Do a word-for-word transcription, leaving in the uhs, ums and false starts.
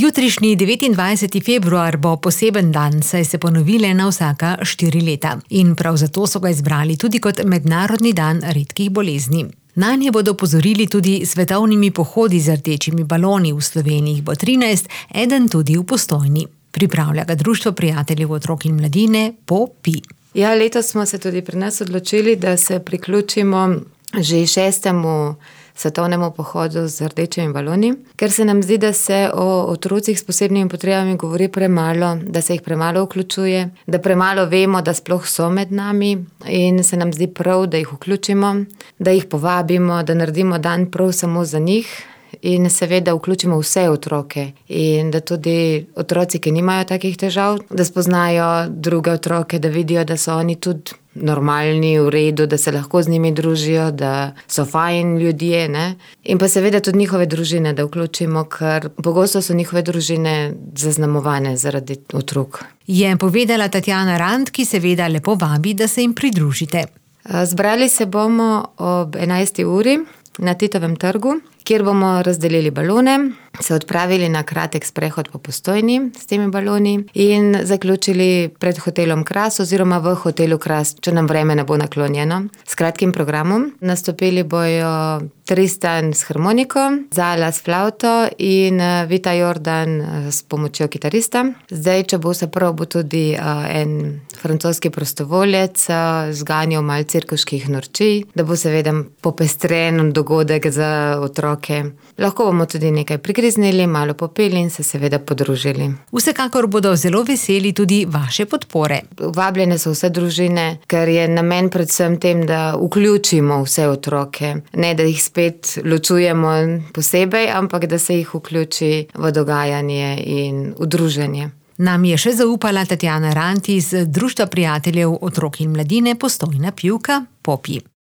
Jutrišnji devetindvajseti februar bo poseben dan, saj se ponovi na vsaka štiri leta. In prav zato so ga izbrali tudi kot Mednarodni dan redkih bolezni. Nanje bodo opozorili tudi svetovnimi pohodi z rdečimi baloni. V Sloveniji jih bo trinajst, eden tudi v Postojni. Pripravlja ga Društvo prijateljev otrok in mladine POPI. Ja, letos smo se tudi pri nas odločili, da se priključimo že šestemu svetovnemu pohodu z rdečimi baloni, ker se nam zdi, da se o otrocih s posebnimi potrebami govori premalo, da se jih premalo vključuje, da premalo vemo, da sploh so med nami in se nam zdi prav, da jih vključimo, da jih povabimo, da naredimo dan prav samo za njih in seveda vključimo vse otroke in da tudi otroci, ki nimajo takih težav, da spoznajo druge otroke, da vidijo, da so oni tudi normalni, v redu, da se lahko z njimi družijo, da so fajn ljudje, ne? In pa seveda tudi njihove družine, da vključimo, ker pogosto so njihove družine zaznamovane zaradi otrok. Je povedala Tatjana Rant, ki seveda lepo vabi, da se jim pridružite. Zbrali se bomo ob enajsti uri na Titovem trgu, kjer bomo razdelili balone, se odpravili na kratek sprehod po Postojni s temi baloni in zaključili pred hotelom Kras oziroma v hotelu Kras, če nam vreme ne bo naklonjeno, s kratkim programom. Nastopili bojo Tristan s harmoniko, Zala s flavto in Vita Jordan s pomočjo kitarista. Zdaj, če bo vse prav, bo tudi en francoski prostovoljec zganjal malo cirkuških norčij, da bo seveda popestren dogodek za otroke. Lahko bomo tudi nekaj prigriznili, malo popeli in se seveda podružili. Vsekakor bodo zelo veseli tudi vaše podpore. Vabljene so vse družine, ker je namen predvsem tem, da vključimo vse otroke. Ne, da jih spet ločujemo posebej, ampak da se jih vključi v dogajanje in v druženje. Nam je še zaupala Tatjana Rant iz Društva prijateljev otrok in mladine Postojna Pivka POPI.